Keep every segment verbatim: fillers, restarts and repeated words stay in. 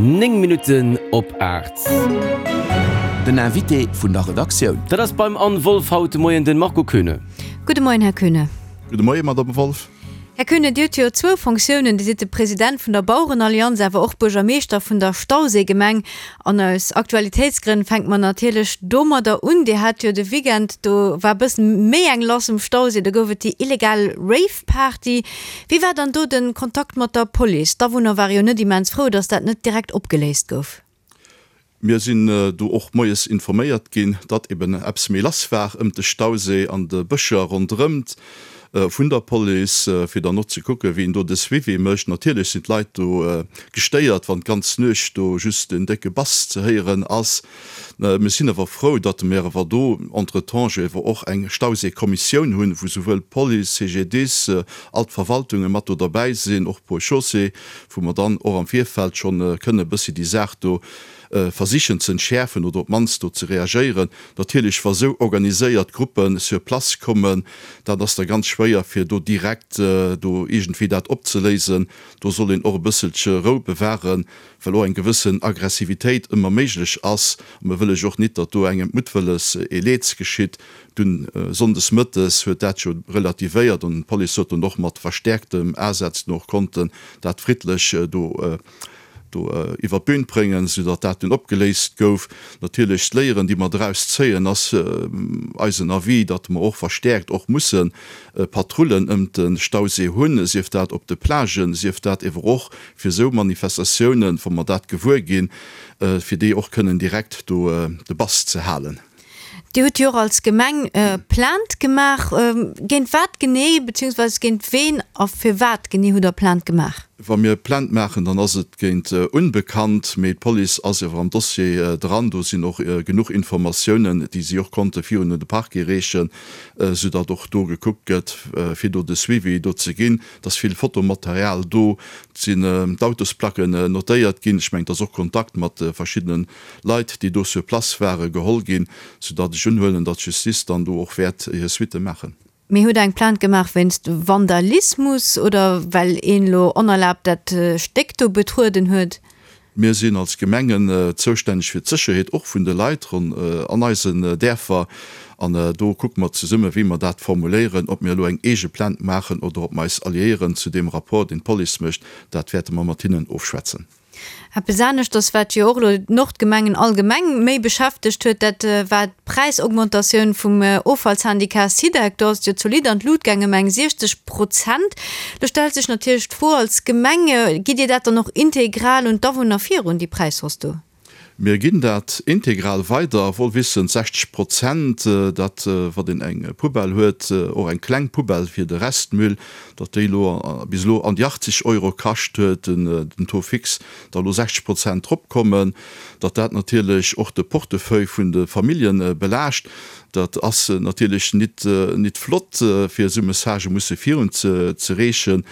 Néng Minutten op aacht. Den Invité vun der Redaktioun. Dat ass beim Anne Wolff haut de Moien den Marco Koeune. Gudde Moien, Här Koeune. Gudde Moien, Madame Wolff. Här Koeune, Dir hutt jo zwou Fonctiounen, Dir sidd de President vun der Bauerenallianz, awer och Buergermeeschter vun der Stauséigemeng. An aus Aktualitéitsgrënn fänke mer natierlech domadder un. Dir hat jo de Weekend, do war e bëssen méi eng lass um Stauséi, do gouf et déi illegal Rave-Party. Wéi war dann do de Kontakt mat der Police? D'Awunner ware jo net immens frou, datt dat net direkt opgeléist gouf. Mir sinn do och moies informéiert ginn, datt eben eppes méi lass war ëmt de Stauséi an de Bëscher ronderëmt, vun der Police, fir dann och ze kucken, wéi een do de Suivi mécht. Natierlech sinn d'Leit do gestéiert, wann d'ganz Nuecht do just en décke Bass ze héieren ass. Mir sinn awer frou, datt mir awer do entretemps jo ewer och eng Stauséikommissioun hunn, wou souwuel Police, CGDIS, all d'Verwaltunge mat do derbäi sinn, och Ponts et Chaussées, wou mer dann och am Virfeld schonn kënne e bëssi déi Saach do versichen ze entschäerfen oder op d'mannst do ze reagéieren. Natierlech, wa sou organiséiert Gruppe sur place kommen, dat ass da ganz schwéier, fir do direkt do iergendwéi dat opzeléisen. Do soll een och e bësselche Rou bewahren, well och eng gewëssen Aggressivitéit ëmmer méiglech ass. A mir wëlle jo och nit, datt do engem muttwëlles ee Leeds geschitt. Dunn sonndes mëttes huet dat jo relativéiert an d'Police huet dunn och mat verstäerktem Asaz dunn och konnten dat friddlech do do iwwer d'Bün bréngen, soudatt dat dunn opgeléist gouf. Natierlech d'Léieren, déi mer draus zéien, ass eisen Avis, datt mer och verstäerkt och musse Patrullen ëmt de Stauséi hunn, sief dat op de Plagen, sief dat ewer och fir esou Manifestatiounen, wa mer dat gewuer ginn, fir déi och kënnen direkt do de Bass ze halen. Dir hutt jo och als Gemeng Plainte gemaach. Géint wat genee, beziehungsweise géint ween a firwat genee hutt Der Plainte gemaach? Wa mir Plainte maachen, dann ass et géint Unbekannt, mee d'Police ass ewer am Dossier dran. Do sinn och genuch Informatiounen, déi si och konnte virun un de Parquet reechen, soudatt och do gekuckt gëtt, fir do de Suivi do ze ginn. Et ass vill Fotomaterial do, et sinn d'Autosplacken notéiert ginn. Ech mengen, et ass och Kontakt mat verschiddene Leit, déi do sur place waren, geholl ginn, soudatt ech unhuelen, datt d'Justice dann do och wäert hir Suitte maachen. Mee hutt Der eng Plainte gemaach wéinst Vandalismus oder well een elo onerlaabt dat Stéck do betrueden huet? Mir sinn als Gemengen zoustänneg fir d'Sécherheet och vun de Leit an eisen Däerfer an do kucke mer zesumme wéi mer dat formuléieren. Ob mir elo eng eege Plainte maachen oder ob mer eis alliéieren zu deem Rapport, deen d'Police mécht, dat wäerte mer mat hinnen ofschwätzen. Eppes aneschters, wat jo och elo d'Nordgemengen allgemeng méi beschäftegt huet, dat war d'Präisaugmentatioun vum Offallsyndicat Sidec. Do ass et jo zolidd an d'Lut gaangen, ëm eng siechzeg Prozent. Do stellt sech natierlech d'Fro als Gemeng, Gitt Dir dat dann och integral un d'Awunner virun, déi Präishausse do? Mir ginn dat integral weider, wohl wissend, sechzeg Prozent, datt, wann een eng Poubelle huet, och eng kleng Poubelle fir de Restmüll, datt déi elo bis elo an déi achtzeg Euro kascht huet, den Taux fixe, da elo sechzeg Prozent drop kommen, datt dat natierlech och de Portefeuille vun de Famillje belaascht. Dat ass natierlech nit nit flott, fir esou Messagë musse virun ze ze reechen,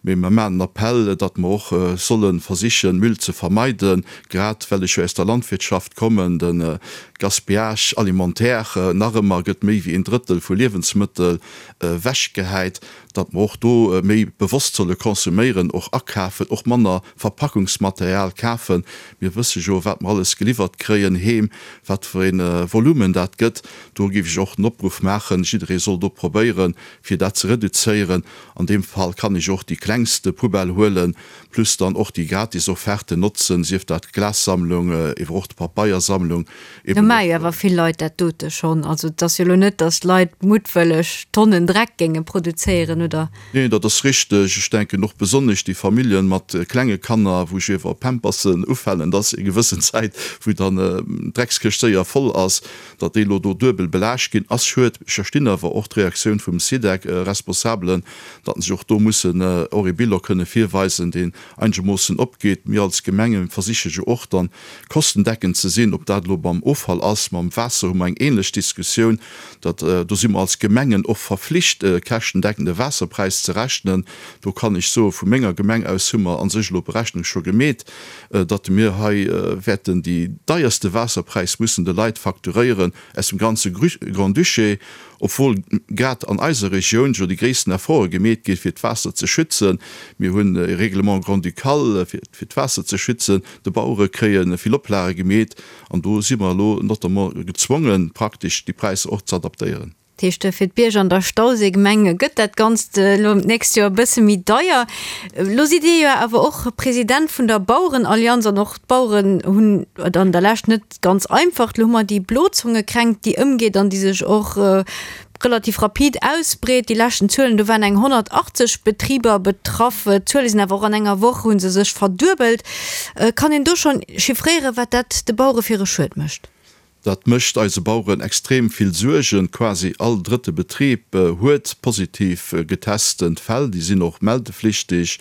mee mer maachen en Appell, datt mer och solle versichen, Müll ze vermeiden, grad well ech jo aus der Landwirtschaft kommen, de Gaspillage alimentaire, nach ëmmer gëtt méi wéi een Drëttel vu Liewensmëttel ewechgehäit, datt mer och do méi bewosst solle consomméieren, och akafen, och manner Verpackungsmaterial kafen. Mir wësse jo, wat mer alles geliwwert kréien heem, wat fir ee Volumen dat gëtt. Do géif ech och den Opruff maachen, jidderee soll do probéieren, fir dat ze reduzéieren. An deem Fall kann ech och déi klengste Poubelle huelen, plus dann och déi gratis Offerten notzen, sief dat d'Glassammlung, ewer och d'Papeiersammlung. Do maache jo awer vill Leit dat dote schonn. Also et ass jo elo net, datt d'Leit muttwëlleg Tonnen Dreck géinge produzéieren, oder? Neen, dat ass richteg. Ech denken och besonnesch déi Familljen mat klenge Kanner, wou ech iewer Pampersen ufalen, et ass eng gewëssen Zäit, wou dann d'Dreckskëscht séier voll ass, datt déi elo do duebel belaascht ginn, ass schued. Ech verstinn awer och d'Reaktioun vum Sidec-Responsabelen, datt se och do mussen och ee Bilan kënne virweisen, deen einegermoossen opgeet. Mir als Gemenge versiche jo och dann kostendeckend ze sinn, ob dat elo beim Offall ass, mam Waasser hu mer eng ähnlech Diskussioun, datt do si mer als Gemengen och verflicht käschtendeckende Waasser Waasserpräis ze rechnen. Do kann ech soe vu menger Gemeng aus hu mer a sech elo Berechnung scho gemeet, datt mir hei wäerten déi deierste Waasserpräis mussen de Leit facturéieren aus dem ganze Grand-Duché, obwuel grad an eiser Regioun jo déi gréissten Efforte gemeet gi fir d'Waasser ze schützen. Mir hunn e Règlement grand-ducal fir d'Waasser ze schützen, de Bauere kréie vill Oplage gemeet an do si mer elo notamment gezwongen, praktesch déi Präisser och ze adaptéieren. Dat heescht, fir d'Bierger an der Stauséigemeng gëtt dat Ganzt elo d'nächst Joer e bësse méi deier. Elo sidd Dir jo awer och President vun der Bauerenallianz an och d'Baueren hunn et an der Lescht net ganz einfach. Elo hu mer déi Blozongekränkt, déi ëmgeet an déi sech och relativ rapid ausbreet. Déi leschten Zuelen, do waren eng honnertachtzeg Betriber betraff. D'Zuele sinn awer och an enger Woch hu se sech verduebelt. Kann een do schonn chiffréieren, wat dat de Bauere fir e Schued mécht? Dat mécht eise Baueren extrem vill Suergen. Quasi all drëtte Betrib huet positiv getesten Fäll. Déi sinn och meldeflichtig.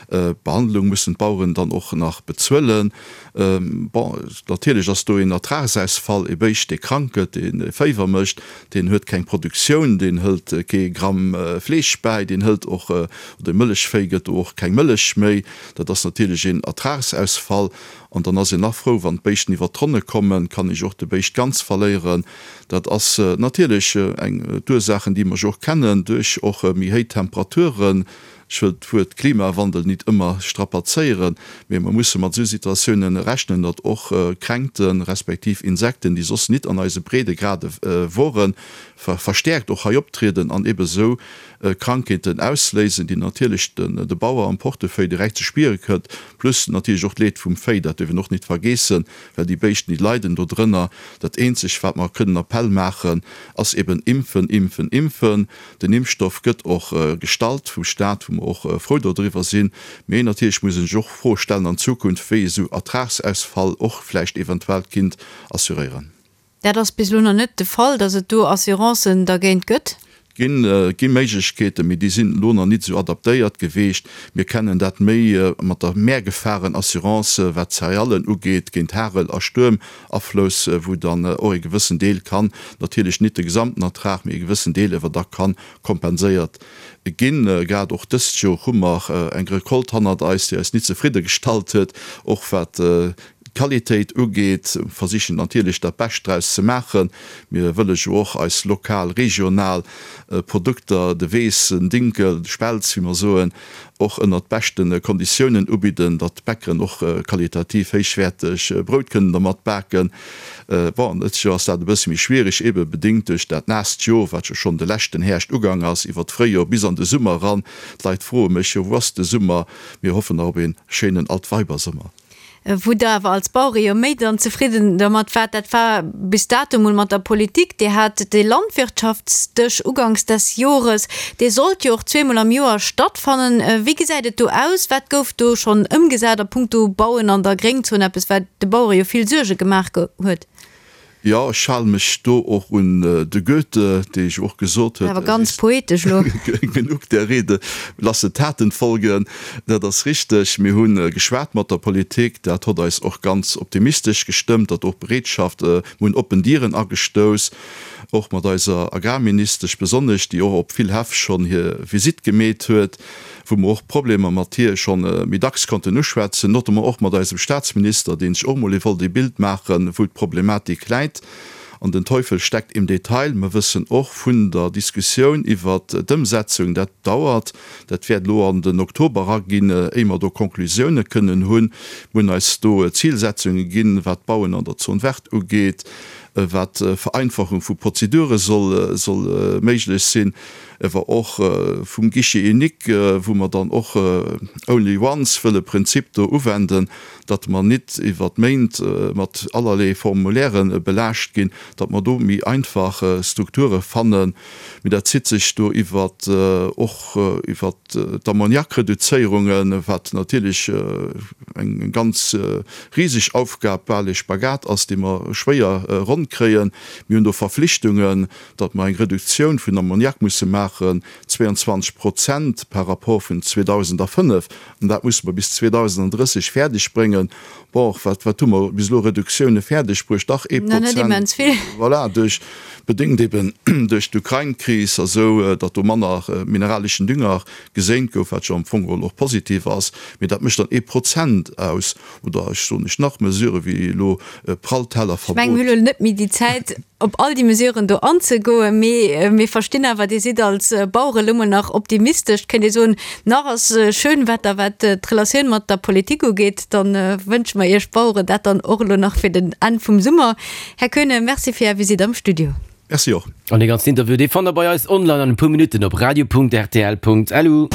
D'Behandlung mussen d'Baueren dann och nach bezuelen. Bon, natierlech ass do een Ertragsausfall. E Béischt, dee krank gëtt, dee Féiwer mécht, deen huet keng Produktioun, deen hëlt kee Gramm Fleesch bäi, deen hëlt och, oder e Mëllechvéi gëtt do och keng Mëllech méi. Dat ass natierlech een Ertragsausfall. An dann ass een nach frou, wann d'Béischten iwwer d'Ronne kommen, kann ech och de Béischt ganz verléieren. Dat ass natierlech eng d'Ursaachen, déi mer jo och kennen, duerch och méi héich Temperaturen. Ech wëll d'Wuert Klimawandel nit ëmmer strapazéieren, mee mer musse mat esou Situatiounen rechnen, datt och Kränkten, respektiv Insekten, déi soss nit an eise Breedegrade woren, verstäerkt och hei optrieden an ebe sou Krankheeten ausléisen, déi natierlech de Bauer am Portefeuille direkt ze spiere kënnt, plus natierlech och d'Leed vum Véi, dat dierf een och nit vergeessen, well déi Béischten, déi leiden dodrënner. Dat eenzeg, wat mer kënnen Appell maachen, ass eben impfen, impfen, impfen. Den Impfstoff gëtt och gestallt vum Staat, wou mer och frou dodriwwer sinn. Mee natierlech muss een sech och Froe stellen an Zukunft, wéi esou Ertragsausfall och vläicht eventuell kinnt assuréieren. Dat ass bis elo nach net de Fall, datt et do Assurancen dergéint gëtt? Ginn, gi Méiglechkeeten, mee déi sinn elo nach nit esou adaptéiert geweecht. Mir kennen dat méi mat der Mehrgefahrenassurance, wat d'Céréallen ugeet, géint Hagel a Stuermaflouss, wou dann och e gewëssen Deel kann, natierlech nit de gesamten Ertrag, mee e gewëssen Deel ewer da kann kompenséiert ginn. Grad och dëst Joer hu mer eng Recolte hannert eis, déi eis nit zefridde gestallt huet, och wat d'Qualitéit ugeet, versichen natierlech dat Bescht draus ze maachen. Mir wëlle jo och eis lokal, regional Produkter, de Weess, den Dinkel, de Spelz, wéi mer soen, och ënnert beschte Konditiounen ubidden, datt d'Bäckeren och qualitativ héichwäerteg Brout kënnen dermat baken. Bon, dëst Joer ass dat e bësse méi schwierig, ebe bedéngt duerch dat naasst Joer, wat jo schonn de leschten Häerscht ugang ass, iwwer d'Fréijoer bis an de Summer eran. D'Leit froe mech jo, Wou ass de Summer? Mir hoffen nach op ee schéinen Altweibersummer. Wou Der awer als Bauere jo méi dann zefridden dermat waart, dat war bis dato mol mat der Politik. Dir hat dee Landwirtschaftsdësch uganks des Jores, dee sollt jo och zweemol am Joer stattfannen. Wéi gesäit et do aus? Wat gouf do schonn ëmgesat a puncto Bauen an der Gréngzon, eppes wat de Bauere jo vill Suerge gemaach huet? Jo, ech hale mech do och un de Goethe, dee jo och gesot huet, Awer ganz poetesch elo. Genug der Rede, lasse Taten folgen. Dat ass richteg. Mir hu geschwat mat der Politik. Dat hott eis och ganz optimistesch gestëmmt, datt och Bereetschaft, mir hunn oppen Dieren agestouss, och mat eiser Agrarministesch besonnesch, déi och op vill Häff schonn hir Visitt gemeet huet, wou mer och Problemer mat hir schonn méi dacks konnten uschwätzen, notamment och mat eisem Statsminister, dee sech och emol wollt ee Bild maachen, wou d'Problematik läit. An den Teufel steckt im Detail. Mer wëssen och vun der Diskussioun iwwert d'Ëmsetzung, dat dauert, dat wäert elo an den Oktober eraginn, éier mer do Konklusioune kënnen hunn. Mir hunn eis do Zilsetzunge ginn, wat d'Bauen an der Zone verte ugeet, wat Vereinfachung vu Prozedure soll soll méiglech sinn, ewer och vum Guichet unique, wou mer dann och only once wëlle Prinzip do uwenden, datt mer nit iwwert Méint mat allerlee Formulairen belaascht ginn, datt mer do méi einfach Strukture fannen. Mee dat zitt sech do iwwert och iwwert d'Ammoniakreduzéierungen, wat natierlech eng ganz riseg Aufgab, bal ee Spagat ass, dee mer schwéier ronn fonnt kréien. Mir hunn do Verflichtungen, datt mer eng Reduktioun vun Ammoniak musse maachen, zweiundzwanzeg Prozent par rapport vun zweedausendafënnef, an dat musse mer bis zweedausendandrësseg fäerdeg bréngen. Bon, wat, wat hu mer bis elo Reduktioune fäerdeg bruecht? Dach ee Na, net Prozent. immens vill. Voilà, duerch, bedéngt eben duerch d'Ukrain-Kris a sou, datt do manner mineraleschen Dünger geséint gouf, wat jo am Fong geholl och positiv ass, mee dat mécht dann ee Prozent aus. Oder ech soen lech nach Mesurë wéi elo Ech mengen, Pralltellerverbot. mir hunn elo net méi déi Zäit, op all déi Mesuren do anzegoen, mee mir verstinn awer, Dir sidd als Bauere lo mol nach optimistesch, kéint ee soen, nach ass Schönwetter, wat d'Relatioun mat der Politik ugeet. Da wënsche mer Iech Baueren dat dann och elo nach fir den Enn vum Summer. Här Koeune, Merci fir Är Visitt am Studio. Merci och. An dee ganzen Interview, dee fannt der bei eis online an e puer Minutten op radio.rtl.lu.